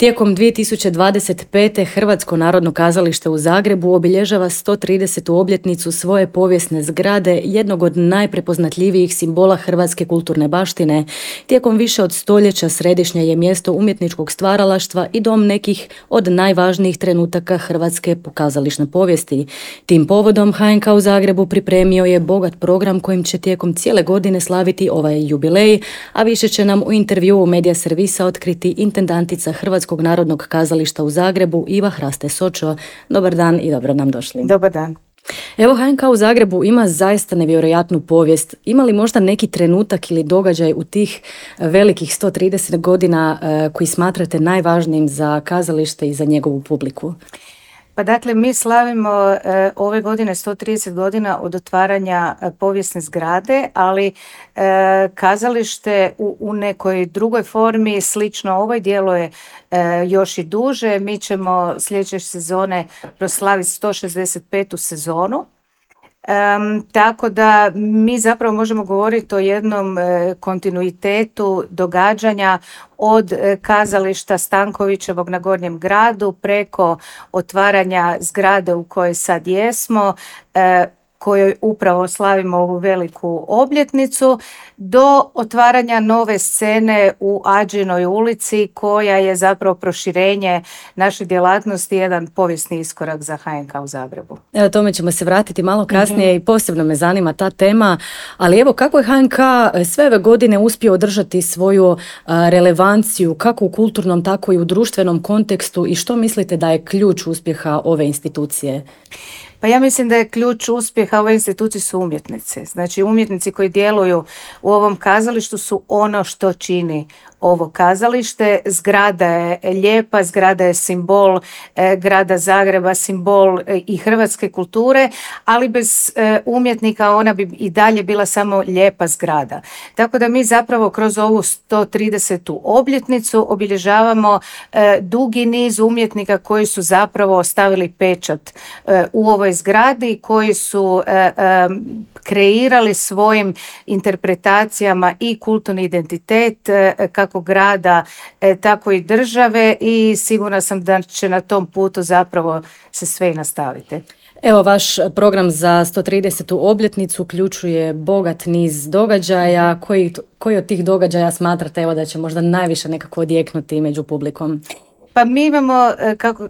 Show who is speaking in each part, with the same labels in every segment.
Speaker 1: Tijekom 2025. Hrvatsko narodno kazalište u Zagrebu obilježava 130. obljetnicu svoje povijesne zgrade, jednog od najprepoznatljivijih simbola hrvatske kulturne baštine. Tijekom više od stoljeća središnje je mjesto umjetničkog stvaralaštva i dom nekih od najvažnijih trenutaka hrvatske kazališne povijesti. Tim povodom HNK u Zagrebu pripremio je bogat program kojim će tijekom cijele godine slaviti ovaj jubilej, a više će nam u intervjuu Medija servisa otkriti intendantica Hrvatskog narodnog kazališta u Zagrebu Iva Hraste Sočo. Dobar dan i dobro nam došli.
Speaker 2: Dobar dan.
Speaker 1: Evo, HNK u Zagrebu ima zaista nevjerojatnu povijest. Ima li možda neki trenutak ili događaj u tih velikih 130 godina koji smatrate najvažnijim za kazalište i za njegovu publiku?
Speaker 2: Pa dakle, mi slavimo ove godine 130 godina od otvaranja povijesne zgrade, ali kazalište u nekoj drugoj formi slično ovoj djeluje još i duže. Mi ćemo sljedeće sezone proslaviti 165. sezonu. Tako da mi zapravo možemo govoriti o jednom kontinuitetu događanja od kazališta Stankovićevog na Gornjem gradu preko otvaranja zgrade u kojoj sad jesmo, kojoj upravo slavimo ovu veliku obljetnicu, do otvaranja nove scene u Ađinoj ulici koja je zapravo proširenje naše djelatnosti, jedan povijesni iskorak za HNK u Zagrebu.
Speaker 1: Evo, tome ćemo se vratiti malo kasnije i posebno me zanima ta tema, ali evo, kako je HNK sve ove godine uspio održati svoju relevanciju kako u kulturnom, tako i u društvenom kontekstu i što mislite da je ključ uspjeha ove institucije?
Speaker 2: Pa ja mislim da je ključ uspjeha ove institucije su umjetnici. Znači umjetnici koji djeluju u ovom kazalištu su ono što čini ovo kazalište. Zgrada je lijepa, zgrada je simbol grada Zagreba, simbol i hrvatske kulture, ali bez umjetnika ona bi i dalje bila samo lijepa zgrada. Tako da mi zapravo kroz ovu 130. obljetnicu obilježavamo dugi niz umjetnika koji su zapravo ostavili pečat u ovoj zgradi, koji su kreirali svojim interpretacijama i kulturni identitet kako grada, tako i države, i sigurna sam da će na tom putu zapravo se sve i nastaviti.
Speaker 1: Evo, vaš program za 130. obljetnicu uključuje bogat niz događaja. Koji od tih događaja smatrate evo da će možda najviše nekako odjeknuti među publikom?
Speaker 2: Pa mi imamo,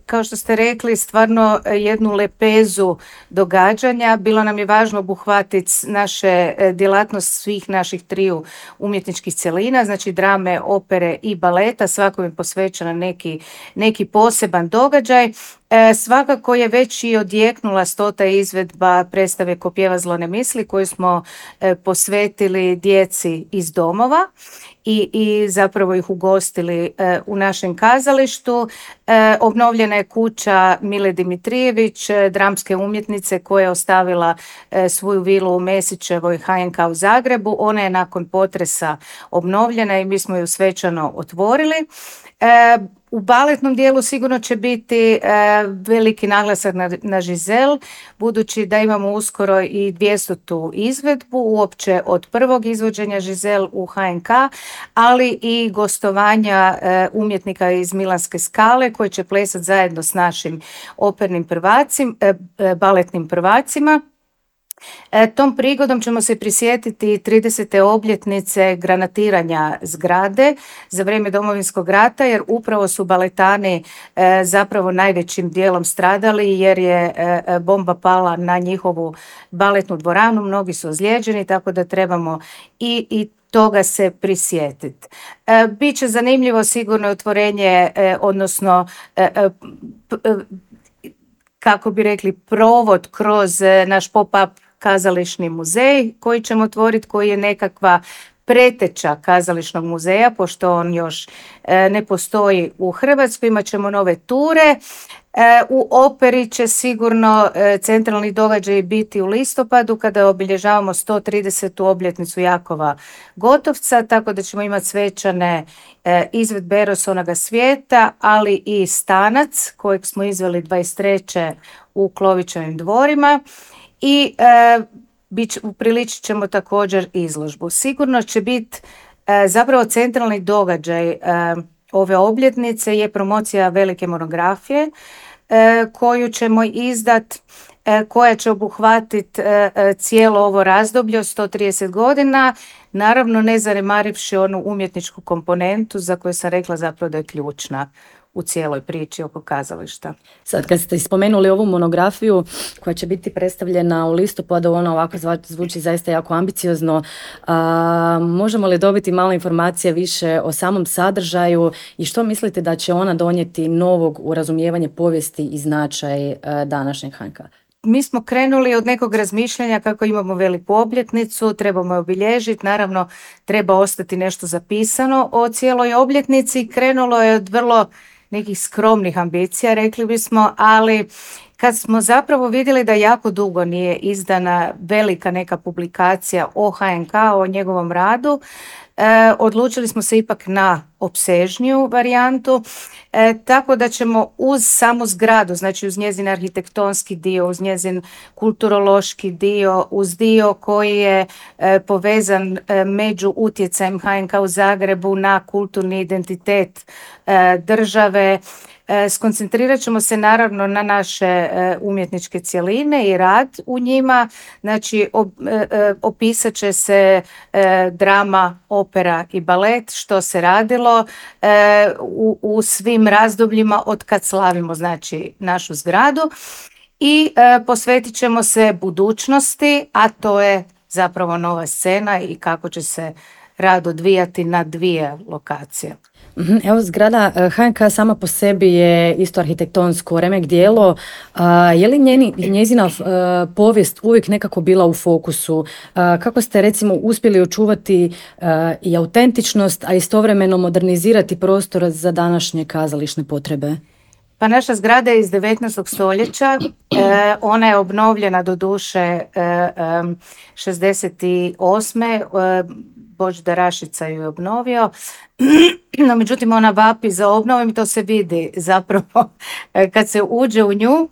Speaker 2: kao što ste rekli, stvarno jednu lepezu događanja. Bilo nam je važno obuhvatiti naše djelatnost svih naših triju umjetničkih cjelina, znači drame, opere i baleta, svako je posvećena neki poseban događaj. Svakako je već i odjeknula 100. izvedba predstave Ko pjeva zlo ne misli, koju smo posvetili djeci iz domova i zapravo ih ugostili u našem kazalištu. Obnovljena je kuća Mile Dimitrijević, dramske umjetnice, koja je ostavila svoju vilu u Mesićevoj HNK u Zagrebu. Ona je nakon potresa obnovljena i mi smo ju svečano otvorili. U baletnom dijelu sigurno će biti veliki naglasak na Žizel, budući da imamo uskoro i 200. izvedbu uopće od prvog izvođenja Žizel u HNK, ali i gostovanja umjetnika iz Milanske Skale koji će plesati zajedno s našim opernim baletnim prvacima. Tom prigodom ćemo se prisjetiti 30. obljetnice granatiranja zgrade za vrijeme Domovinskog rata, jer upravo su baletani zapravo najvećim dijelom stradali, jer je bomba pala na njihovu baletnu dvoranu, mnogi su ozlijeđeni, tako da trebamo i toga se prisjetiti. Biće zanimljivo sigurno otvorenje, odnosno kako bi rekli, provod kroz naš pop-up kazališni muzej koji ćemo otvoriti, koji je nekakva preteča kazališnog muzeja, pošto on još ne postoji u Hrvatskoj. Imat ćemo nove ture. U operi će sigurno centralni događaj biti u listopadu, kada obilježavamo 130. obljetnicu Jakova Gotovca, tako da ćemo imati svečane izvedbe Eros onoga svijeta, ali i Stanac, kojeg smo izveli 23. u Klovićevim dvorima, i upriličit ćemo također izložbu. Sigurno će biti zapravo centralni događaj ove obljetnice je promocija velike monografije koju ćemo izdat, koja će obuhvatiti cijelo ovo razdoblje od 130 godina, naravno ne zanemarivši onu umjetničku komponentu za koju sam rekla zapravo da je ključna u cijeloj priči oko kazališta.
Speaker 1: Sad kad ste spomenuli ovu monografiju koja će biti predstavljena u listopadu, ona ovako zvuči zaista jako ambiciozno. Možemo li dobiti malo informacije više o samom sadržaju i što mislite da će ona donijeti novog u razumijevanje povijesti i značaj današnjeg HNK?
Speaker 2: Mi smo krenuli od nekog razmišljanja kako imamo veliku obljetnicu, trebamo je obilježiti, naravno treba ostati nešto zapisano o cijeloj obljetnici. Krenulo je od vrlo nekih skromnih ambicija, rekli bismo, ali kad smo zapravo vidjeli da jako dugo nije izdana velika neka publikacija o HNK, o njegovom radu, odlučili smo se ipak na opsežniju varijantu, tako da ćemo uz samu zgradu, znači uz njezin arhitektonski dio, uz njezin kulturološki dio, uz dio koji je povezan među utjecajem HNK u Zagrebu na kulturni identitet države, skoncentrirat ćemo se naravno na naše umjetničke cjeline i rad u njima, znači opisat će se drama, opera i balet, što se radilo u svim razdobljima od kad slavimo znači našu zgradu i posvetit ćemo se budućnosti, a to je zapravo nova scena i kako će se rad odvijati na 2 lokacije.
Speaker 1: Evo, zgrada HNK sama po sebi je isto arhitektonsko remek djelo. Je li njezina povijest uvijek nekako bila u fokusu? Kako ste recimo uspjeli očuvati i autentičnost, a istovremeno modernizirati prostor za današnje kazališne potrebe?
Speaker 2: Pa naša zgrada je iz 19. stoljeća, ona je obnovljena do duše 68. Božidar Rašica ju je obnovio, no međutim ona vapi za obnovom i to se vidi zapravo kad se uđe u nju.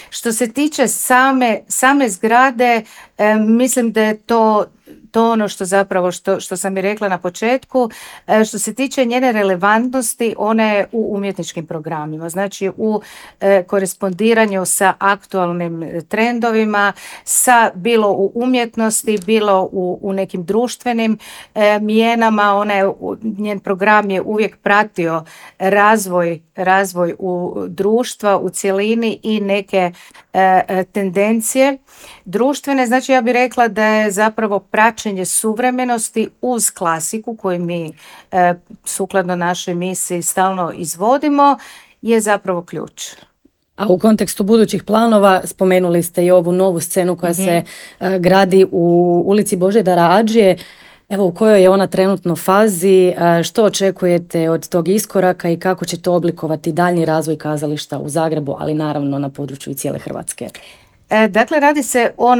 Speaker 2: Što se tiče same zgrade, mislim da je to ono što zapravo, što sam i rekla na početku, što se tiče njene relevantnosti, ona je u umjetničkim programima, znači u korespondiranju sa aktualnim trendovima, bilo u umjetnosti, bilo u nekim društvenim mijenama. Njen program je uvijek pratio razvoj u društva u cjelini i neke tendencije društvene. Znači ja bih rekla da je zapravo praćenje suvremenosti uz klasiku koju mi sukladno našoj misiji stalno izvodimo je zapravo ključ.
Speaker 1: A u kontekstu budućih planova spomenuli ste i ovu novu scenu koja se gradi u ulici Božidara Adžije. Evo, u kojoj je ona trenutno fazi, što očekujete od tog iskoraka i kako će to oblikovati daljnji razvoj kazališta u Zagrebu, ali naravno na području i cijele Hrvatske?
Speaker 2: Dakle, radi se o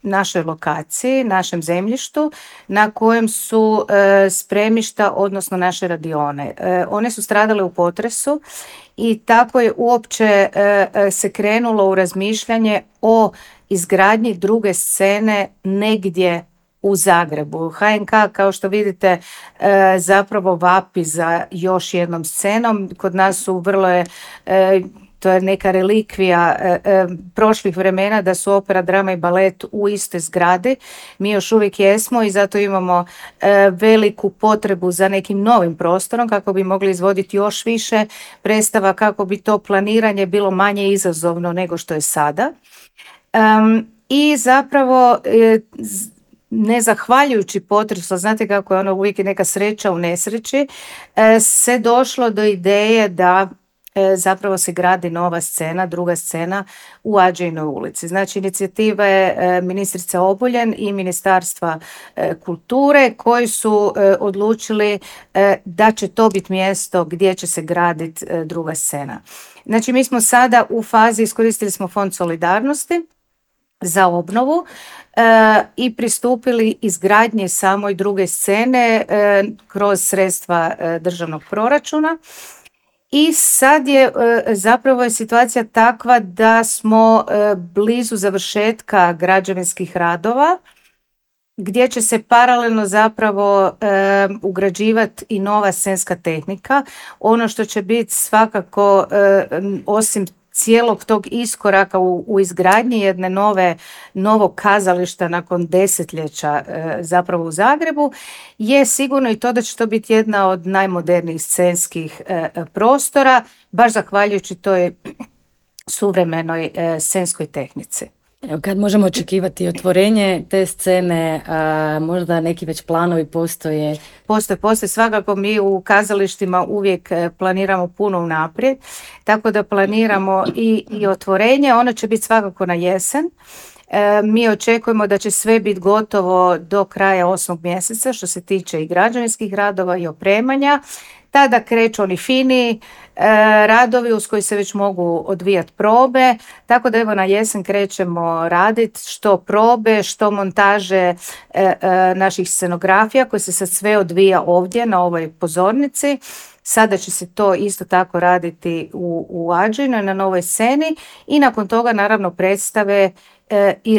Speaker 2: našoj lokaciji, našem zemljištu na kojem su spremišta, odnosno naše radione. One su stradale u potresu i tako je uopće se krenulo u razmišljanje o izgradnji druge scene negdje u Zagrebu. HNK, kao što vidite, zapravo vapi za još jednom scenom. Kod nas su vrlo je to je neka relikvija prošlih vremena da su opera, drama i balet u istoj zgradi. Mi još uvijek jesmo i zato imamo veliku potrebu za nekim novim prostorom kako bi mogli izvoditi još više predstava, kako bi to planiranje bilo manje izazovno nego što je sada. I zapravo ne zahvaljujući potresu, znate kako je ono uvijek neka sreća u nesreći, se došlo do ideje da zapravo se gradi nova scena, druga scena u Adžijinoj ulici. Znači inicijativa je ministrice Obuljen i Ministarstva kulture koji su odlučili da će to biti mjesto gdje će se graditi druga scena. Znači mi smo sada u fazi, iskoristili smo Fond solidarnosti za obnovu i pristupili izgradnji samoj druge scene kroz sredstva državnog proračuna. I sad je zapravo je situacija takva da smo blizu završetka građevinskih radova gdje će se paralelno zapravo ugrađivati i nova scenska tehnika. Ono što će biti svakako osim cijelog tog iskoraka u izgradnji jedne novog kazališta nakon desetljeća zapravo u Zagrebu, je sigurno i to da će to biti jedna od najmodernijih scenskih prostora, baš zahvaljujući toj suvremenoj scenskoj tehnici.
Speaker 1: Evo, kad možemo očekivati otvorenje te scene, možda neki već planovi postoje?
Speaker 2: Postoje. Svakako mi u kazalištima uvijek planiramo puno unaprijed, tako da planiramo i otvorenje. Ono će biti svakako na jesen. Mi očekujemo da će sve biti gotovo do kraja 8. mjeseca što se tiče i građevinskih radova i opremanja. Tada kreću oni fini radovi uz koji se već mogu odvijati probe, tako da evo na jesen krećemo raditi što probe, što montaže naših scenografija koje se sad sve odvija ovdje na ovoj pozornici. Sada će se to isto tako raditi u Ađinu na novoj sceni i nakon toga naravno predstave i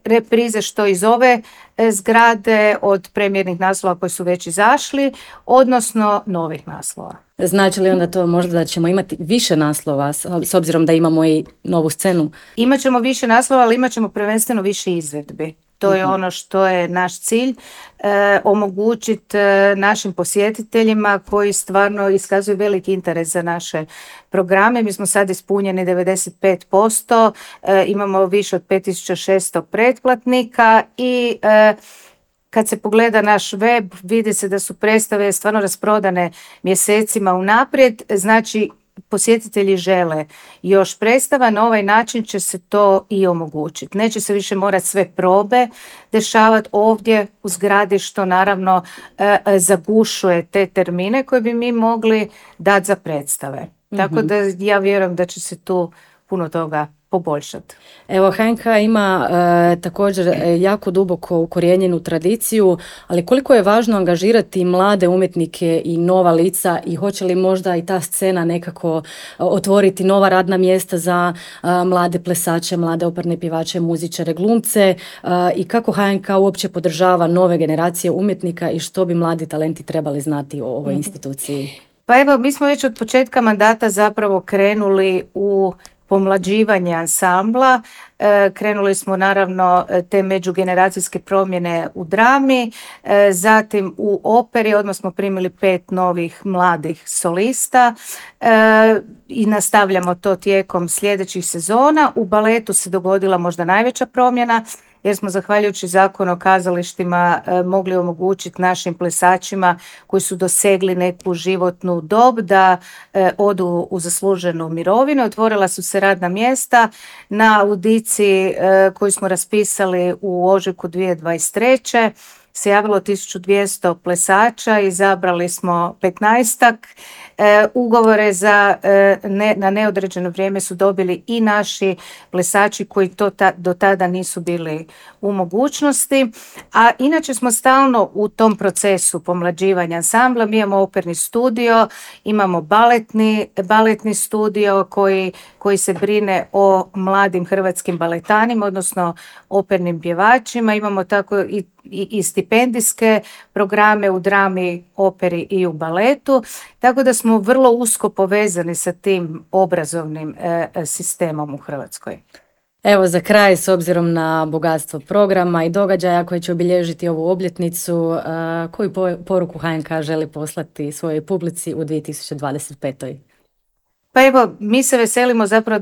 Speaker 2: reprize što iz ove zgrade od premijernih naslova koji su već izašli, odnosno novih naslova.
Speaker 1: Znači li onda to možda da ćemo imati više naslova s obzirom da imamo i novu scenu?
Speaker 2: Imaćemo više naslova, ali imaćemo prvenstveno više izvedbi. To je ono što je naš cilj, omogućiti našim posjetiteljima koji stvarno iskazuju veliki interes za naše programe. Mi smo sad ispunjeni 95%, imamo više od 5600 pretplatnika i kad se pogleda naš web, vidi se da su predstave stvarno rasprodane mjesecima unaprijed, znači posjetitelji žele još predstava, na ovaj način će se to i omogućiti. Neće se više morati sve probe dešavati ovdje u zgradi, što naravno zagušuje te termine koje bi mi mogli dati za predstave. Tako da ja vjerujem da će se tu puno toga poboljšati.
Speaker 1: Evo, HNK ima također jako duboko ukorijenjenu tradiciju, ali koliko je važno angažirati mlade umjetnike i nova lica i hoće li možda i ta scena nekako otvoriti nova radna mjesta za mlade plesače, mlade operne pjevače, muzičare, glumce i kako HNK uopće podržava nove generacije umjetnika i što bi mladi talenti trebali znati o ovoj instituciji?
Speaker 2: Pa evo, mi smo već od početka mandata zapravo krenuli u pomlađivanje ansambla. Krenuli smo naravno te međugeneracijske promjene u drami, zatim u operi odmah smo primili 5 novih mladih solista i nastavljamo to tijekom sljedećih sezona. U baletu se dogodila možda najveća promjena jer smo zahvaljujući Zakonu o kazalištima mogli omogućiti našim plesačima koji su dosegli neku životnu dob da odu u zasluženu mirovinu. Otvorila su se radna mjesta na audiciji koju smo raspisali u ožujku 2023. se javilo 1200 plesača, izabrali smo 15-ak. Ugovore na neodređeno vrijeme su dobili i naši plesači koji do tada nisu bili u mogućnosti. A inače smo stalno u tom procesu pomlađivanja ansambla. Mi imamo operni studio, imamo baletni studio koji se brine o mladim hrvatskim baletanima, odnosno opernim pjevačima. Imamo tako i stipendijske programe u drami, operi i u baletu, tako da smo vrlo usko povezani sa tim obrazovnim sistemom u Hrvatskoj.
Speaker 1: Evo za kraj, s obzirom na bogatstvo programa i događaja koji će obilježiti ovu obljetnicu, koju poruku HNK želi poslati svojoj publici u 2025.
Speaker 2: Pa evo, mi se veselimo zapravo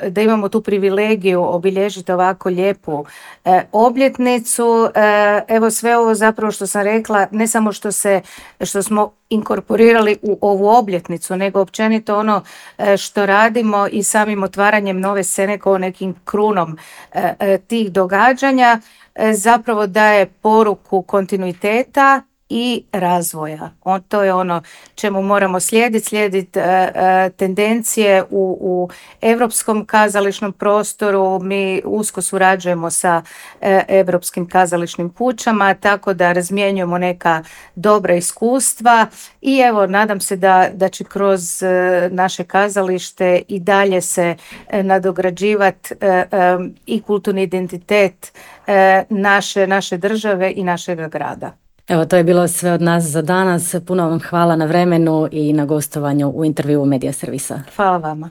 Speaker 2: da imamo tu privilegiju obilježiti ovako lijepu obljetnicu. Evo sve ovo zapravo što sam rekla, ne samo što smo inkorporirali u ovu obljetnicu, nego općenito ono što radimo i samim otvaranjem nove scene kao nekim krunom tih događanja, zapravo daje poruku kontinuiteta i razvoja. To je ono čemu moramo slijediti tendencije u europskom kazališnom prostoru. Mi usko surađujemo sa europskim kazališnim kućama, tako da razmjenjujemo neka dobra iskustva i evo, nadam se da će kroz naše kazalište i dalje se nadograđivati i kulturni identitet naše države i našeg grada.
Speaker 1: Evo, to je bilo sve od nas za danas. Puno vam hvala na vremenu i na gostovanju u intervjuu Medija servisa.
Speaker 2: Hvala vama.